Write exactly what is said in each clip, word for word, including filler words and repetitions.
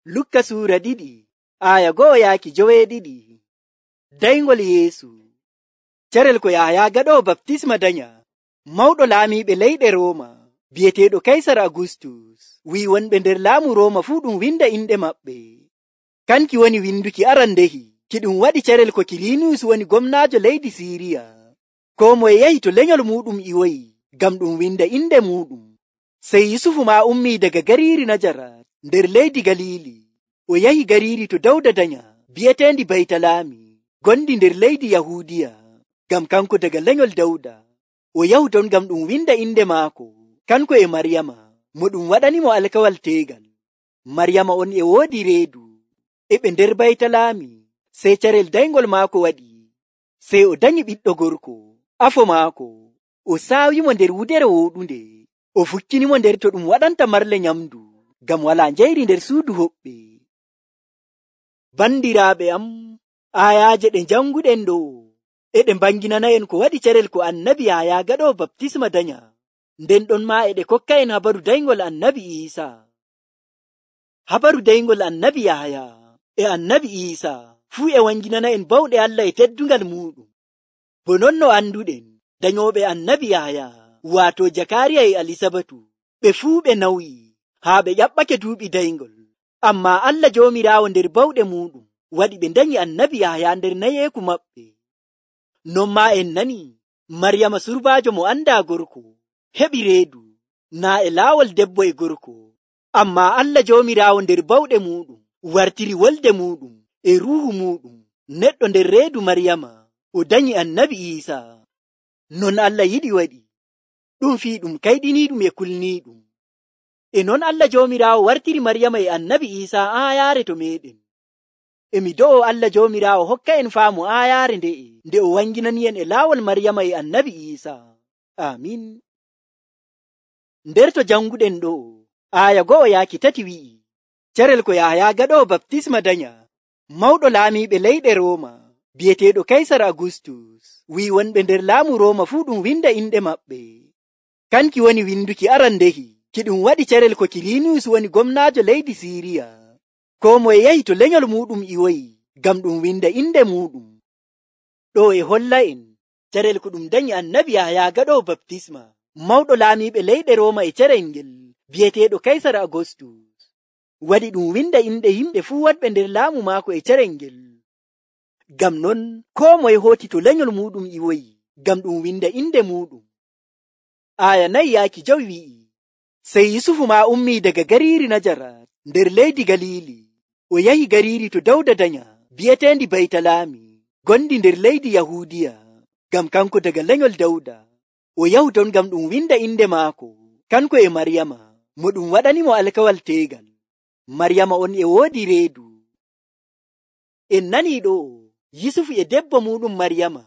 Lukka suura ɗiɗi aya go'o yaaki joweeɗiɗi. Dayngol Yeesu. Carel ko Yahaya gaɗoowo baptisma danya, mawɗo laamiiɓe leyɗe Rooma, bi'eteeɗo Kaysar Agustus, wi'i wonɓe nder laamu Rooma fuu ɗum winda inɗe maɓɓe. Kanki woni winduki arandehi, ki ɗum waɗi carel ko Kiliniyus woni gomnaajo leydi Siiriya. Koo moye yahi to lenyol muuɗum iwoyi, ngam ɗum winda inde muuɗum. Sey Yusufu maa ummii daga gariiri Najarat nder leydi Galiili, o yahi gariiri to Dawda danya, bi'eteendi Baytalaami, gondi nder leydi Yahuudiya, ngam kanko daga lenyol Dawda. O yahu ton ngam ɗum winda inde maako, kanko e Maryama, mo ɗum waɗanimo alkawal teegal. Maryama on e woodi reedu, e ɓe nder Baytalaami, sey carel dayngol maako waɗi. Sey o danyi ɓiɗɗo gorko, afo maako, o saawimo nder wudere wooɗunde, o fukkinimo nder to ɗum waɗanta marle nyamdu, ngam walaa njayri nder suudu hoɓɓe. Bandiraaɓe am, ayaaje ɗe janguɗen ɗo, e ɗe mbanginana en ko waɗi carel ko annabi Yahaya gaɗoowo baptisma danya, nden ɗon maa e ɗe kokka en habaru dayngol annabi Iisa. Habaru dayngol annabi Yahaya e annabi Iisa fuu e wanginana en bawɗe Allah e teddungal muuɗum. Bo non no anduɗen, danyooɓe annabi Yahaya, waato Jakariya e Alisabatu, ɓe fuu ɓe nawyi haa ɓe ƴaɓɓake duuɓi dayngol. Ammaa Allah Joomiraawo nder bawɗe muuɗum waɗi ɓe danyi annabi Yahaya nder nayeeku maɓɓe. Non maa en nani Maryama surbaajo mo andaa gorko, heɓi reedu, naa e laawol debbo e gorko. Ammaa Allah Joomiraawo nder bawɗe muuɗum wartiri wolde muuɗum e ruuhu muuɗum neɗɗo nder reedu Maryama, o danyi annabi Iisa. Non Allah yiɗi waɗi, ɗum fii ɗum kayɗiniiɗum e kulniiɗum. E non Allah Joomiraawo wartiri Maryama e annabi Iisa aayaare to meeɗen. E mi do'o Allah Joomiraawo hokka en faamu aayaare nde'e, nde o wanginani en e laawol Maryama e annabi Iisa. Amin. Nder to janguɗen ɗo, aya go'o yaaki tati wi'i, carel ko Yahaya gaɗoowo baptisma danya, mawɗo laamiiɓe leyɗe Rooma, bi'eteeɗo Kaysar Agustus, wi'i wonɓe nder laamu Rooma fuu ɗum winda inɗe maɓɓe. Kanki woni winduki arandehi, ki ɗum waɗi carel ko Kiliniyus woni gomnaajo leydi Siiriya. Koo moye yahi to lenyol muuɗum iwoyi, ngam ɗum winda inde muuɗum. Ɗo e holla en carel ko ɗum danyi annabi Yahaya gaɗoowo baptisma, mawɗo laamiiɓe leyɗe Rooma e carel ngel, bi'eteeɗo Kaysar Agustus, waɗi ɗum winda inɗe yimɓe fuu waɗɓe nder laamu maako e carel ngel. Ngam non koo moye hooti to lenyol muuɗum iwoyi, ngam ɗum winda inde muuɗum. Aya nayi yaaki jowi wi'i, sey Yusufu maa ummii daga gariiri Najarat nder leydi Galiili, o yahi gariiri to Dawda danya, bi'eteendi Baytalaami, gondi nder leydi Yahuudiya, ngam kanko daga lenyol Dawda. O yahu ton ngam ɗum winda inde maako, kanko e Maryama, mo ɗum waɗanimo alkawal teegal. Maryama on e woodi reedu. En nanii ɗo, Yusufu e debbo muuɗum Maryama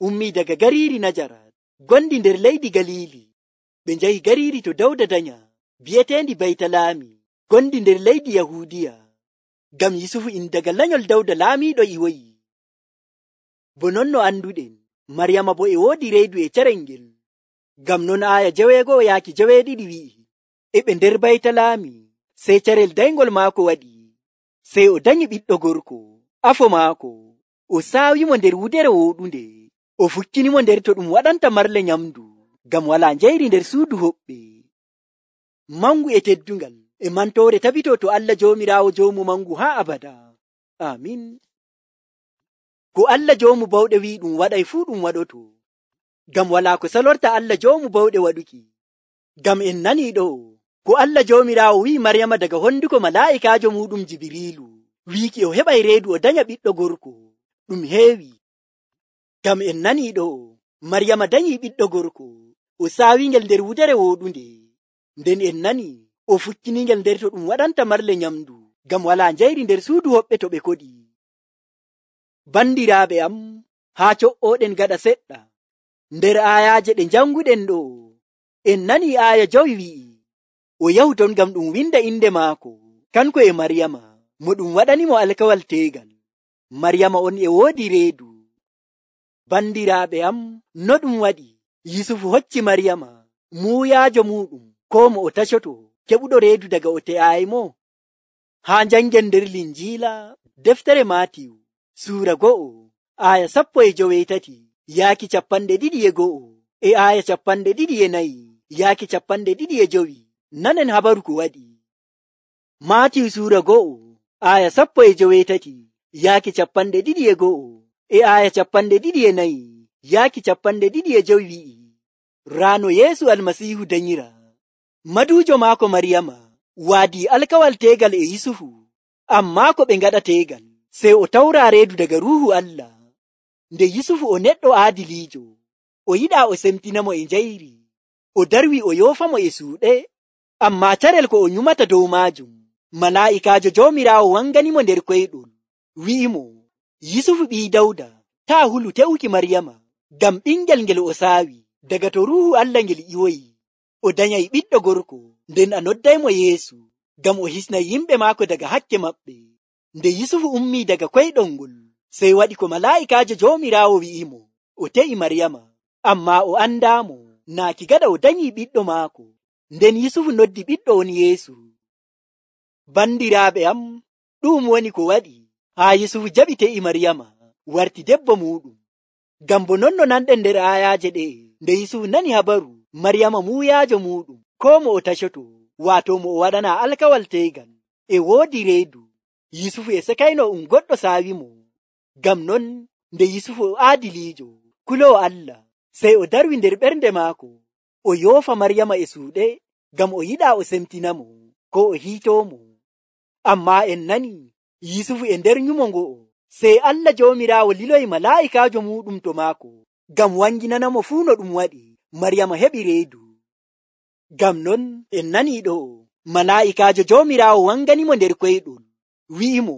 ummii daga gariiri Najarat, gondi nder leydi Galiili, ɓe njahi gariiri to Dawda danya, bi'eteendi Baytalaami, gondi nder leydi Yahuudiya, ngam Yusufu in daga lenyol Dawda laamiiɗo iwoyi. Bo non no anduɗen, Maryama bo e woodi reedu e carel ngel. Ngam non aya jeweego'o yaaki joweeɗiɗi wi'i, e ɓe nder Baytalaami, sey carel dayngol maako waɗi. Sey o danyi ɓiɗɗo gorko, afo maako, o saawimo nder wudere wooɗunde, o fukkinimo nder to ɗum waɗanta marle nyamdu, ngam walaa njayri nder suudu hoɓɓe. Mangu e teddungal e mantoore tabito to Allah Joomiraawo joomu mangu haa abada. Amin. Ko Allah joomu bawɗe wi'i ɗum waɗay fuu ɗum waɗoto, ngam walaa ko salorta Allah joomu bawɗe waɗuki. Ngam en nanii ɗo, ko Allah Joomiraawo wi'i Maryama daga honduko malaa'ikaajo muuɗum Jibriilu, wiiki o heɓay reedu o danya ɓiɗɗo gorko, ɗum heewi. Ngam en nanii ɗo, Maryama danyii ɓiɗɗo gorko, o saawingel nder wudere wooɗunde, nden en nanii o fukkiningel nder to ɗum waɗanta marle nyamdu, ngam walaa njayri nder suudu hoɓɓe to ɓe koɗi. Bandiraaɓe am, haa co'ooɗen gaɗa seɗɗa, nder aayaaje ɗe janguɗen ɗo, en nanii aaya jowi wi'i, o yahu ton ngam ɗum winda inde maako, kanko e Maryama, mo ɗum waɗanimo alkawal teegal. Maryama on e woodi reedu. Bandiraaɓe am, no ɗum waɗi Yusufu hocci Maryama, muuyaajo muuɗum, ko mo o tacoto, keɓuɗo reedu daga o te'aayi mo? haa jangen nder linjiila deftere Maatiyu suura go'o aya sappo e joweetati yaaki capanɗe ɗiɗi e go'o e aya capanɗe ɗiɗi e nayi yaaki capanɗe ɗiɗi e jowi. Nanen habaru ko waɗi. Maatiyu suura go'o aya sappo e joweetati yaaki capanɗe ɗiɗi e go'o e aya capanɗe ɗiɗi e nayi yaaki capanɗe ɗiɗi e jowi wi'i, raano Yeesu Almasiihu danyira, maduujo maako Maryama waadii alkawal teegal e Yusufu, ammaa ko ɓe ngaɗa teegal sey o tawraa reedu daga Ruuhu Allah. Nde Yusufu o neɗɗo aadiliijo, o yiɗaa o semtinamo e njayri, o darwi o yoofamo e suuɗe, ammaa carel ko o nyumata dow maajum, malaa'ikaajo Joomiraawo wanganimo nder koyɗol, wi'imo, Yusufu ɓii Dawda, taa hulu te'uki Maryama, ngam ɓingel ngel o saawi daga to Ruuhu Allah ngel ƴiwoyi. O danyay ɓiɗɗo gorko, nden a noddaymo Yeesu, ngam o hisnay yimɓe maako daga hakke maɓɓe. Nde Yusufu ummii daga koyɗol ngol, sey waɗi ko malaa'ikaajo Joomiraawo wi'imo, o te'i Maryama, ammaa o andaamo, naaki gaɗa o danyii ɓiɗɗo maako. Nden Yusufu noddi ɓiɗɗo on Yeesu. Bandiraaɓe am, ɗum woni ko waɗi haa Yusufu jaɓi te'i Maryama, warti debbo muuɗum. Ngam bo non no nanɗen nder aayaaje ɗe, nde Yusufu nani habaru Maryama muuyaajo muuɗum, koo mo o tashoto, waato mo o waɗana alkawal teegal, e woodi reedu, Yusufu e sekayno um goɗɗo saawimo. Ngam non nde Yusufu o aadiliijo, kuloowo Allah, sey o darwi nder ɓernde maako, o yoofa Maryama e suuɗe, ngam o yiɗaa o semtinamo, ko o hiitoomo. Ammaa en nani Yusufu e nder nyumo ngo'o, sey Allah Joomiraawo liloyi malaa'ikaajo muuɗum to maako, ngam wanginanamo fuu no ɗum waɗi Maryama heɓi reedu. Ngam non en nanii ɗo, malaa'ikaajo Joomiraawo wanganimo nder koyɗol, wi'imo,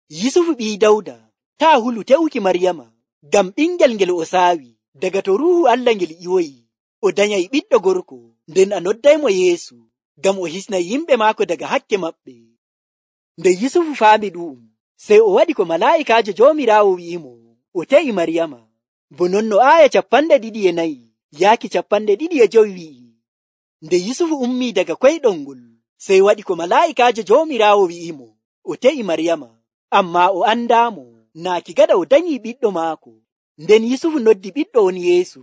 Yusufu ɓii Dawda, taa hulu te'uki Maryama, ngam ɓingel ngel o saawi daga to Ruuhu Allah ngel ƴiwoyi. O danyay ɓiɗɗo gorko, nden a noddaymo Yeesu, ngam o hisnay yimɓe maako daga hakke maɓɓe. Nde Yusufu faami ɗu'um, sey o waɗi ko malaa'ikaajo Joomiraawo wi'imo, o te'i Maryama. Bo non no aaya capanɗe ɗiɗi e nayi yaaki capanɗe ɗiɗi e jowi wi'i. Nde Yusufu ummii daga koyɗol ngol, sey waɗi ko malaa'ikaajo Joomiraawo wi'imo, o te'i Maryama, ammaa o andaamo, naaki gaɗa o danyii ɓiɗɗo maako. Nden Yusufu noddi ɓiɗɗo on Yeesu.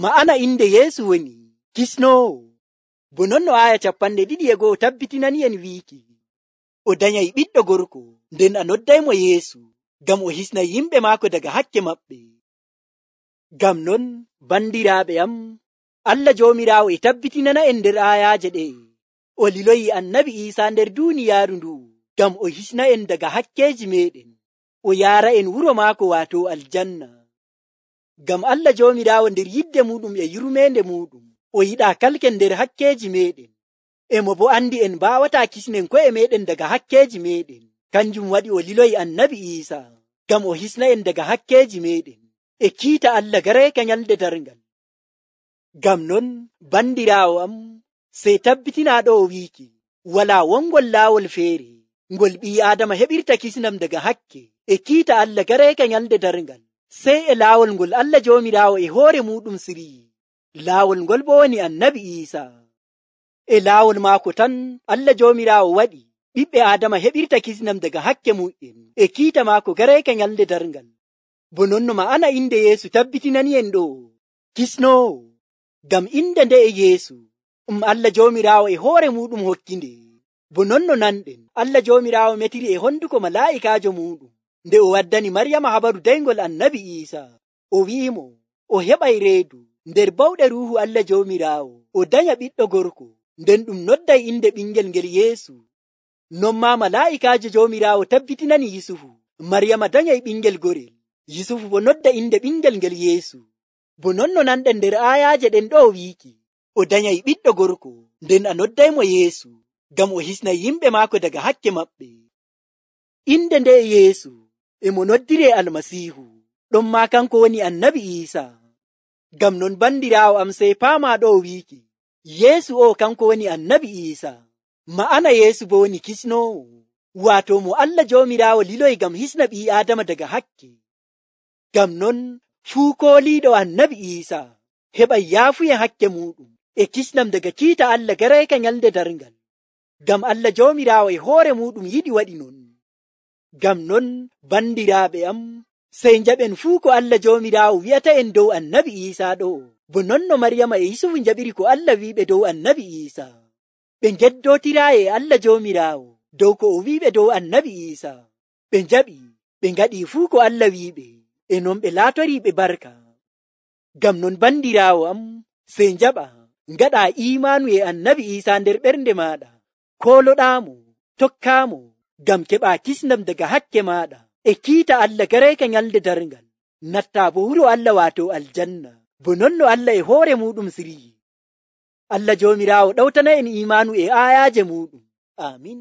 Ma'ana inde Yeesu woni kisnoowo. Bo non no aaya capanɗe ɗiɗi e go'o tabbitinani en wiiki, o danyay ɓiɗɗo gorko, nden a noddaymo Yeesu, ngam o hisnay yimɓe maako daga hakke maɓɓe. Ngam non, bandiraaɓe am, Allah Joomiraawo e tabbitinana en nder aayaaje ɗe, o liloyi annabi Iisaa nder duuniyaaru ndu, ngam o hisna en daga hakkeeji meɗen, o yaara en wuro maako waato aljanna. Ngam Allah Joomiraawo nder yidde muɗum e yurmeende muɗum, o yiɗaa kalken nder hakkeeji meɗen, emo bo andi en mbaawataa kisnen ko'e meɗen daga hakkeeji meɗen. Kanjum waɗi o liloyi annabi Iisaa, ngam o hisna en daga hakkeeji meɗen, e kiita Allah gareeka nyalde darngal. Ngam non, bandiraawo am, sey tabbitinaa ɗo o wiiki, walaa wongol laawol feere, ngol ɓii Aadama heɓirta kisnam daga hakke, e kiita Allah gareeka nyalde darngal, sey e laawol ngol Allah Joomiraawo e hoore muɗum siriyi. Laawol ngol bo woni annabi Iisaa. E laawol maako tan Allah Joomiraawo waɗi ɓiɓɓe Aadama heɓirta kisnam daga hakke mu'en, e kiita maako gareeka nyalde darngal. Bo non no ma'ana inde Yeesu tabbitinani en ɗo, kisnoowo. Ngam inde nde e Yeesu, um Allah Joomiraawo e hoore muɗum hokkinde. Bo non no nanɗen, Allah Joomiraawo metiri e honduko malaa'ikaajo muɗum, nde o waddani Maryama habaru dayngol annabi Iisaa, o wi'imo, o heɓay reedu nder bawɗe Ruuhu Allah Joomiraawo, o danya ɓiɗɗo gorko, nden ɗum nodday inde ɓingel ngel Yeesu. Non ma malaa'ikaajo Joomiraawo tabbitinani Yusufu, Maryama danyay ɓingel gorel, Yusufu bo nodda inde ɓingel ngel Yeesu. Bo non no nanɗen nder aayaaje ɗen ɗo wiiki, o danyay ɓiɗɗo gorko, nden a noddaymo Yeesu, ngam o hisnay yimɓe maako daga hakke maɓɓe. Inde nde e Yeesu emo noddire Almasiihu, ɗon ma kanko woni annabi Iisaa. Ngam non bandiraawo am sey paama ɗo wiiki, Yeesu o kanko woni annabi Iisaa. Ma'ana Yeesu bo woni kisnoowo, waato mo Allah Joomiraawo liloy ngam hisna ɓii Aadama daga hakke. Ngam non fuu kooliiɗo annabi Iisaa heɓay yaafuye hakke muɗum, e kisnam daga kiita Allah gareeka nyalde darngal. Ngam Allah Joomiraawo e hoore muɗum yiɗi waɗi non. Ngam non bandiraaɓe am, sey njaɓen fuu ko Allah Joomiraawo wi'ata en dow annabi Iisaa ɗo, bo non no Maryama e Yusufu njaɓiri ko Allah wi'iɓe dow annabi Iisaa. Ɓe ngeddootiraayi e Allah Joomiraawo dow ko o wi'iɓe dow annabi Iisaa. Ɓe njaɓi, ɓe ngaɗii fuu ko Allah wi'iɓe, e non ɓe laatoriiɓe barka. Ngam non bandiraawo am, sey njaɓa ngaɗaa iimaanu e annabi Iisaa nder ɓernde maaɗa, kooloɗaamo, tokkaamo, ngam keɓaa kisndam daga hakke maaɗa e kiita Allah garayka nyalde darngal, nattaa bo wuro Allah waato aljanna, bo non no Allah e hoore muɗum siryi. Allah Joomiraawo ɗawtana en iimaanu e aayaaje muɗum. Aamin.